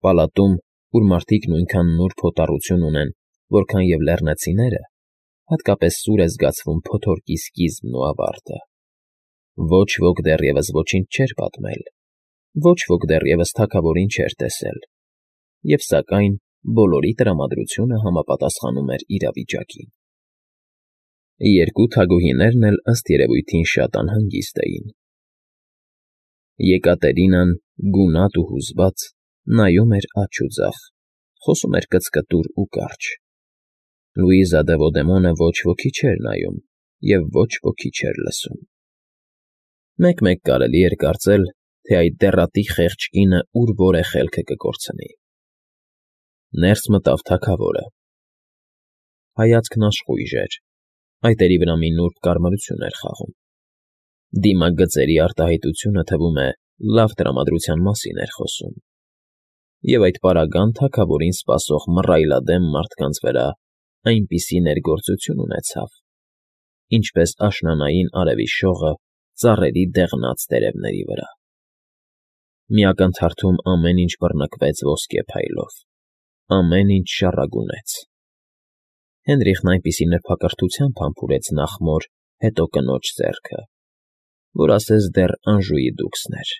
Պալատում, ուր մարդիկ նույնքան նուրբ հոտառություն ունեն, որքան և լեռնացիները, հատկապես սուր է զգացվում փոթորկի սկիզբն ու ավարտը։ Ոչ ոք դեռևս ոչինչ չէր պատմել, ոչ ոք դեռևս թագավորին չէր տեսել, և սակայն բոլորի տրամադրությունը համապատասխանում էր իրավիճակին։ Երկու թագուհիներն էլ ըստ երևույթին շատ անհանգիստ էին։ Եկատերինան, գունատ ու հուզված, նայում էր աջ ու ձախ, խոսում էր կծկտուր ու կարճ։ Լուիզա դե Ոդեմոնը ոչ ոքի չէր նայում և ոչ ոքի չէր լսում։ Մեկ֊մեկ կարելի էր կարծել, թե այդ դեռատի խեղճ կինը ուր որ է խելքը կկորցնի։ Ներս մտավ թագավորը։ Հայացքն աշխույժ էր, այտերի վրա մի նուրբ կարմրություն էր խաղում։ Դիմագծերի արտահայտությունը, թվում է, լավ տրամադրության մասին էր խոսում։ Եվ այդ պարագան թագավորին սպասող մռայլադեմ մարդկանց վրա այնպիսի ներգործություն ունեցավ, ինչպես աշնանային արևի շողը ծառերի դեղնած տերևների վրա։ Մի ակնթարթում ամեն ինչ բռնկվեց ոսկե փայլով, ամեն ինչ շառագունեց։ Հենրիխն այնպիսի նրբակրթությամբ համբուրեց նախ մոր, հետո կնոջ ձեռքը, որ ասես դեռ Անժուի դուքսն էր։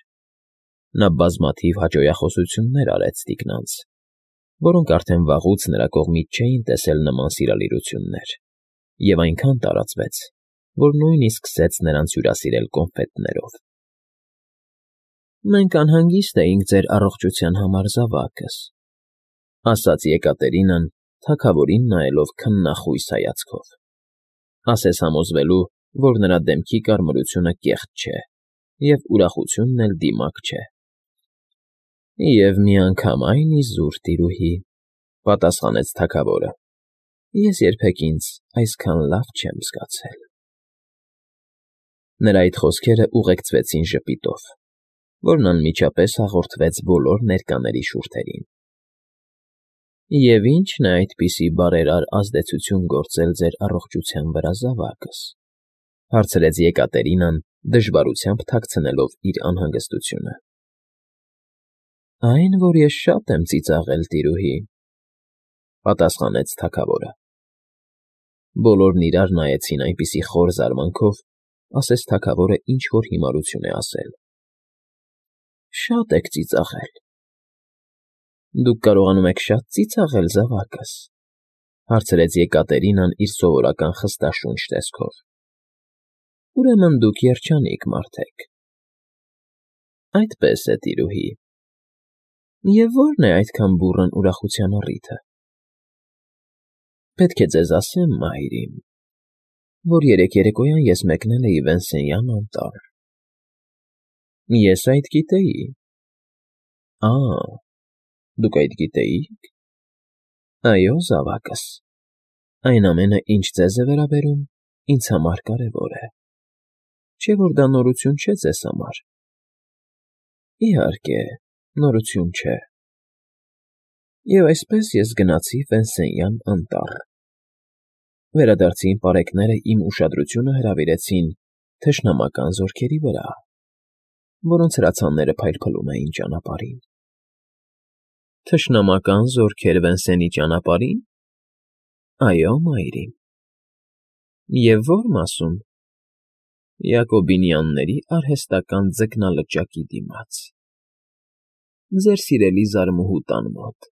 Նա բազմաթիվ հաճոյախոսություններ արեց տիկնանց, որոնք արդեն վաղուց նրա կողմից չէին տեսել նման սիրալիրություններ, և այնքան տարածվեց, որ նույնիսկ սկսեց նրանց հյուրասիրել կոնֆետներով։ «Մենք անհանգիստ էինք ձեր առողջության համար, զավակս», ֊ ասաց Եկատերինան, թագավորին նայելով քննախույս հայացքով, ասես համոզվելու, որ նրա դեմքի կարմրությունը կեղծ չէ և ուրախությունն էլ դիմակ չէ։ «Եվ միանգամայն իզուր, տիրուհի», ֊ պատասխանեց թագավորը, «ես երբեք ինձ այսքան լավ չեմ զգացել»։ Նրա այդ խոսքերը ուղեկցվեցին ժպիտով, որն անմիջապես հաղորդվեց բոլոր ներկաների շուրթերին։ «Եվ ի՞նչն է այդպիսի բարերար ազդեցություն գործել ձեր առողջության վրա, զավակս», ֊ հարցրեց Եկատերինան, դժվարությամբ թաքցնելով իր անհանգստությունը։ «Այն, որ ես շատ եմ ծիծաղել, տիրուհի», ֊ պատասխանեց թագավորը։ Բոլորն իրար նայեցին այնպիսի խոր զարմանքով, ասես թագավորը ինչ֊որ հիմարություն է ասել։ «Շատ եք ծիծաղել»։ «Դուք կարողանում եք շատ ծիծաղել, զավակս», ֊ հարցրեց Եկատերինան իր սովորական խստաշունչ տեսքով։ «Ուրեմն դուք երջանիկ մարդ եք»։ «Այդպես է, տիրուհի։ Եվ ո՞րն է այդքան բուռն ուրախության առիթը»։ «Պետք է ձեզ ասեմ, մայրիկ, որ երեկ երեկոյան ես մեկնել էի Վենսենյան անտառ»։ «Ես այդ գիտեի»։ «Ա՜, դուք այդ գիտեիք։ Այո, զավակս, այն ամենը, ինչ ձեզ է վերաբերում, ինձ համար կարևոր է, չէ՞ որ դա նորություն չէ ձեզ համար։ Իհարկե, նորություն չէ։ Եվ այսպես ես գնացի Վենսենյան անտառ։ Վերադարձի իմ պարեկները իմ ուշադրությունը հրավիրեցին թշնամական զորքերի վրա, որոնց հրացանները փայլփլում էին ճանապարհին։ Թշնամական զորքեր Վենսենի ճանապարհի՞ն։ Այո, մայրիկ։ Եվ ո՞ր մասում։ Յակոբինյանների արհեստական ձկնալճակի դիմաց։ Ձեր սիրելի զարմուհու տան մոտ։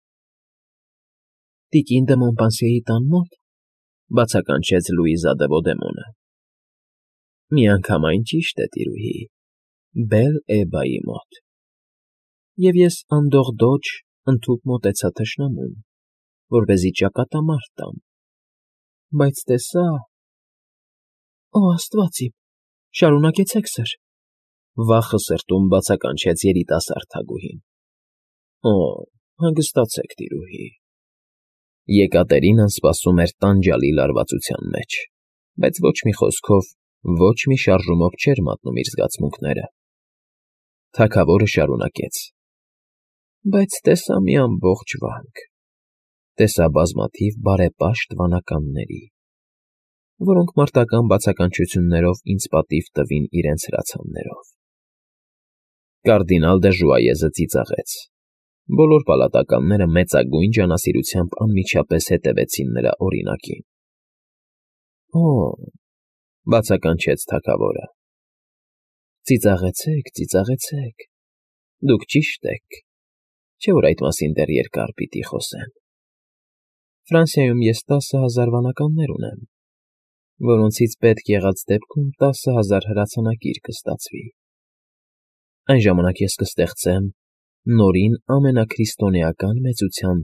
Տիկին դը Մոնպանսիեի տան մո՞տ, ֊ բացականչեց Լուիզա դե Ոդեմոնը։ Միանգամայն ճիշտ է, տիրուհի, Բել֊Էբայի մոտ։ Եվ ես անդողդոջ ընդհուպ մոտեցա թշնամուն, որպեսզի ճակատամարտ տամ, բայց տեսա… Օ, աստված իմ, շարունակեցեք, սըր, ֊ վախը սրտում բացականչեց երիտասարդ թագուհին։ Օ, հանգստացեք, տիրուհի։ Եկատերինան սպասում էր տանջալի լարվածության մեջ, բայց ոչ մի խոսքով, ոչ մի շարժումով չէր մատնում իր զգացմունքները։ Թագավորը շարունակեց. Բայց տեսա մի ամբողջ վանք, տեսա բազմաթիվ բարեպաշտ վանականների, որոնք մարտական բացականչություններով ինձ պատիվ տվին իրենց հրացաններով։ Կարդինալ դը Ժուայեզը ծիծաղեց, Բոլոր պալատականները մեծագույն ջանասիրությամբ անմիջապես հետևեցին նրա օրինակին։ Օ՜, բացականչեց թագավորը։ Ծիծաղեցեք, ծիծաղեցեք, դուք ճիշտ եք, չէ՞ որ այդ մասին դեռ երկար պիտի խոսեն։ Ֆրանսիայում ես 10,000 վանականներ ունեմ, որոնցից պետք եղած դեպքում 10,000 հրացանակիր կստացվի։ Այն ժամանակ ես կստեղծեմ նորին ամենաքրիստոնեական մեծության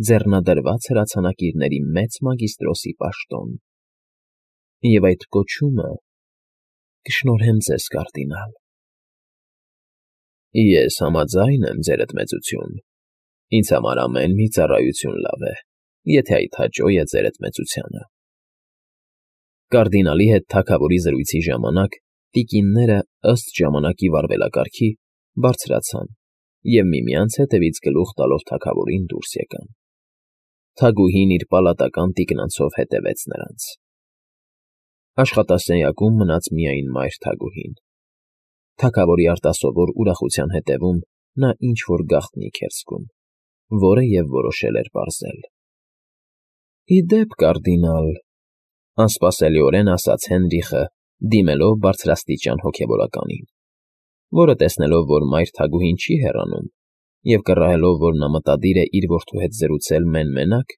ձեռնադրված հրացանակիրների մեծ մագիստրոսի պաշտոն։ Եվ այդ կոչումը կշնորհեմ ձեզ, կարդինալ։ Ես համաձայն եմ, ձերդ մեծություն։ Ինձ համար ամեն մի ծառայություն լավ է, եթե այդ հաճո է ձերդ մեծությանը։ Կարդինալի հետ թագավորի զրույցի ժամանակ տիկինները ըստ ժամանակի վարվելակարգի բարձրացան և միմյանց հետևից գլուխ տալով թագավորին դուրս եկան։ Թագուհին իր պալատական տիկնանցով հետևեց նրանց։ Աշխատասենյակում մնաց միայն մայր թագուհին։ Թագավորի արտասովոր ուրախության հետևում նա ինչ-որ գաղտնիք էր զգում, որը և որոշել էր պարզել։ Ի դեպ, կարդինալ, անսպասելիորեն ասաց Հենրիխը, դիմելով բարձրաստիճան հոգևորականին, որը տեսնելով, որ մայր թագուհին չի հեռանում, և կռահելով, որ նա մտադիր է իր որդու հետ զրուցել մեն֊մենակ,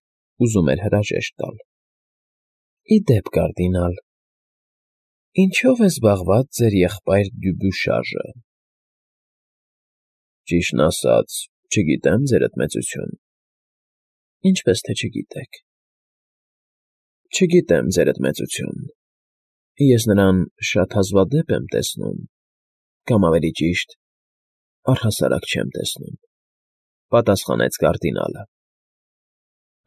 ուզում էր հրաժեշտ տալ։ Ի դեպ, կարդինալ, ինչո՞վ է զբաղված ձեր եղբայր Դյուբուշաժը։ Ճիշտն ասած, չգիտեմ, ձերդ մեծություն։ Ինչպես թե չգիտեք։ Չգիտեմ, ձերդ մեծություն։ Ես նրան շատ հազվադեպ եմ տեսնում, կամ ավելի ճիշտ, առհասարակ չեմ տեսնում, պատասխանեց կարդինալը։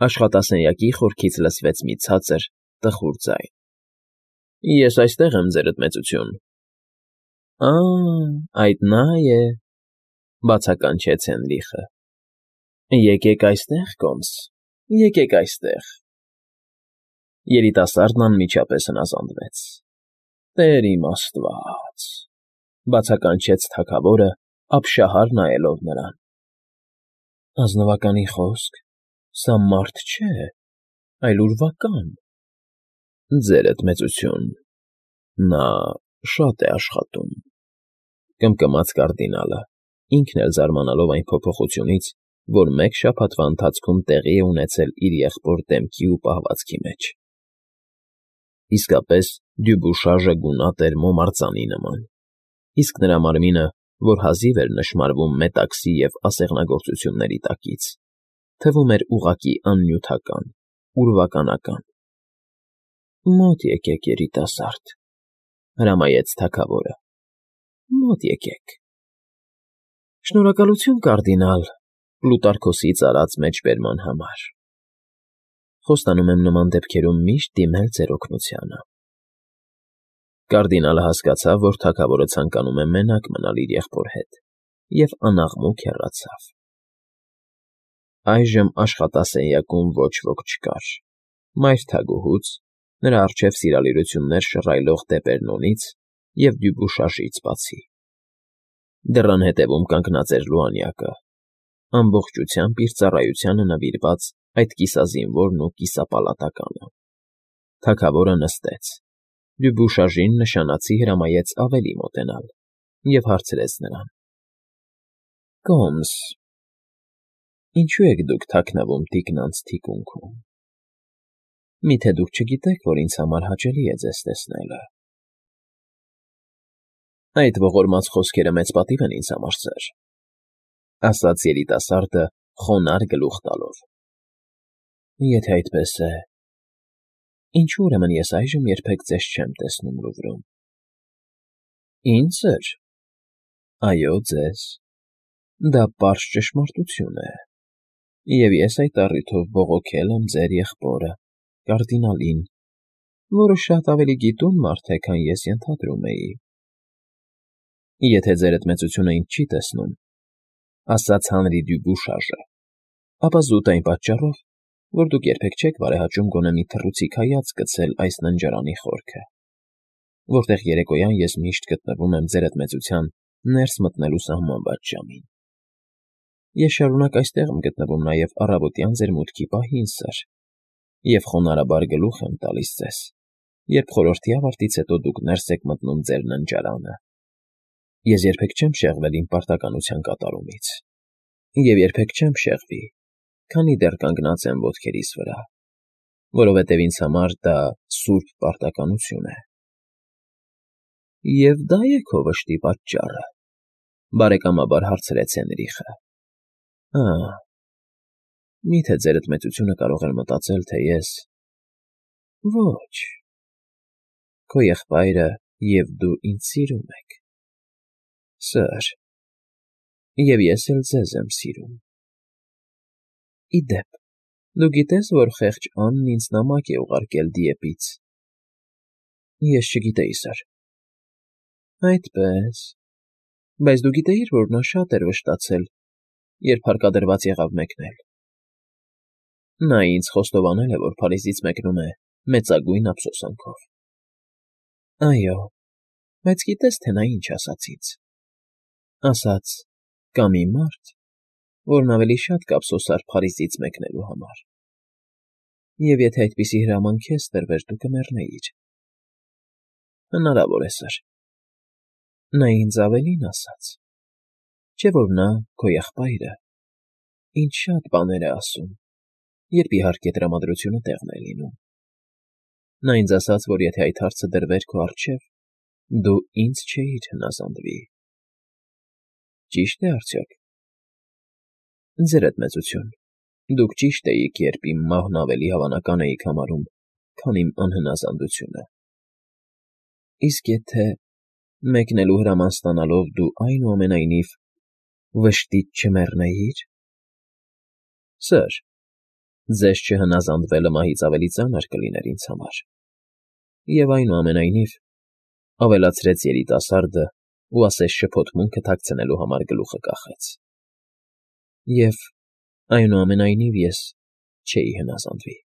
Աշխատասենյակի խորքից լսվեց մի ցածր, տխուր ձայն. Ես այստեղ եմ, ձերդ մեծություն։ Այդ նա է, բացականչեց Հենրիխը։ Եկեք այստեղ, կոմս, եկեք այստեղ։ Երիտասարդն անմիջապես հնազանդվեց։ Տեր իմ Աստված, բացականչեց թագավորը, ապշահար նայելով նրան։ Ազնվականի խոսք, սա մարդ չէ, այլ ուրվական։ Ձերդ մեծություն, նա շատ է աշխատում, կմկմաց կարդինալը, ինքն էլ զարմանալով այն փոփոխությունից, որ մեկ շաբաթվա ընթացքում տեղի է ունեցել իր եղբոր դեմքի ու պահվածքի մեջ։ Իսկապես Դյուբուշաժը գունատ էր մոմարծանի նման, իսկ նրա մարմինը, որ հազիվ էր նշմարվում մետաքսի և ասեղնագործությունների տակից, թվում էր ուղղակի աննյութական, ուրվականական։ Մոտ եկեք, երիտասարդ, հրամայեց թագավորը։ Մոտ եկեք։ Շնորհակալություն, կարդինալ, Պլուտարքոսից արած մեջբերման համար։ Խոստանում եմ նման դեպքերում միշտ դիմել ձեր օգնությանը։ Կարդինալը հասկացավ, որ թագավորը ցանկանում է մենակ մնալ իր եղբոր հետ, և անաղմուկ հեռացավ։ Այժմ աշխատասենյակում ոչ ոք չկար։ Մայր թագուհուց, նրա առջև սիրալիրություններ շռայլող Դեպերնոնից և Դյուբուշաժից բացի։ Դռան հետևում կանգնած էր Լուանյակը, ամբողջությամբ իր ծառայությանը նվիրված այդ կիսազինվորն ու կիսապալատականը։ Թագավորը նստեց։ Դյուբուշաժին նշանացի հրամայեց ավելի մոտենալ և հարցրեց նրան. Կոմս, ինչու եք դուք թաքնվում տիկնանց թիկունքում։ Միթե դուք չգիտեք, որ ինձ համար հաճելի է ձեզ տեսնելը։ Այդ ողորմած խոսքերը մեծ պատիվ են ինձ համար, սըր, ասաց երիտասարդը խոնարհ գլուխ տալով։ Եթե այդպես է, ինչու ուրեմն ես այժմ երբեք ձեզ չեմ տեսնում Լուվրում։ Ինձ, սըր։ Այո, ձեզ։ Դա պարզ ճշմարտություն է, և ես այդ առիթով բողոքել եմ ձեր եղբորը, կարդինալին, որը շատ ավելի գիտուն մարդ է, քան ես ենթադրում էի։ Եթե ձերդ մեծությունը ինձ չի տեսնում, ասաց Հանրի Դյուբուշաժը, ապա զուտ այն պատճառով, որ դուք երբեք չեք բարեհաճում գոնե մի թռուցիկ հայացք գցել այս ննջարանի խորքը, որտեղ երեկոյան ես միշտ գտնվում եմ ձերդ մեծության ներս մտնելու սահմանված ժամին։ Ես շարունակ այստեղ եմ գտնվում նաև առավոտյան ձեր մուտքի պահին, սըր, և խոնարհաբար գլուխ եմ տալիս ձեզ, երբ խորհրդի ավարտից հետո դուք ներս եք մտնում ձեր ննջարանը։ Ես երբեք չեմ շեղվել իմ պարտականության կատարումից, և երբեք չեմ շեղվի, քանի դեռ կանգնած եմ ոտքերիս վրա, որովհետև ինձ համար դա սուրբ պարտականություն է։ Եվ դա է քո վշտի պատճառը, բարեկամաբար հարցրեց Հենրիխը։ Մի՞թե ձերդ մեծությունը կարող էր մտածել, թե ես… Ոչ, քո եղբայրը և դու ինձ սիրում եք, սըր, և ես էլ ձեզ եմ սիրում։ Ի դեպ, դու գիտե՞ս, որ խեղճ Անն ինձ նամակ է ուղարկել Դիեպից։ Ես չգիտեի, սըր։ Այդպե՜ս, բայց դու գիտեիր, որ նա շատ էր վշտացել, երբ հարկադրված եղավ մեկնել։ Նա ինձ խոստովանել է, որ Փարիզից մեկնում է մեծագույն ափսոսանքով։ Այո, բայց գիտե՞ս, թե նա ինչ ասաց ինձ։ Ասաց. «Կա մի մարդ, որն ավելի շատ կափսոսար Փարիզից մեկնելու համար, և եթե այդպիսի հրաման քեզ տրվեր, դու կմեռնեիր»։ Հնարավոր է, սըր։ Նա ինձ ավելին ասաց. չէ՞ որ նա, քո եղբայրը, ինձ շատ բաներ է ասում, երբ իհարկե տրամադրությունը տեղն է լինում։ Նա ինձ ասաց, որ եթե այդ հարցը դրվեր քո առջև, դու ինձ չէիր հնազանդվի։ Ճի՞շտ է արդյոք։ Ձերդ մեծություն, դուք ճիշտ էիք, երբ իմ մահն ավելի հավանական էիք համարում, քան իմ անհնազանդությունը։ Իսկ եթե, մեկնելու հրաման ստանալով, դու այնուամենայնիվ վշտից չմեռնեիր… Սըր, ձեզ չհնազանդվելը մահից ավելի ծանր կլիներ ինձ համար։ Եվ այնուամենայնիվ, ավելացրեց երիտասարդը ու ասես շփոթմունքը թաքցնելու համար գլուխը կախեց։ Եվ այնուամենայնիվ ես չէի հնազանդվի։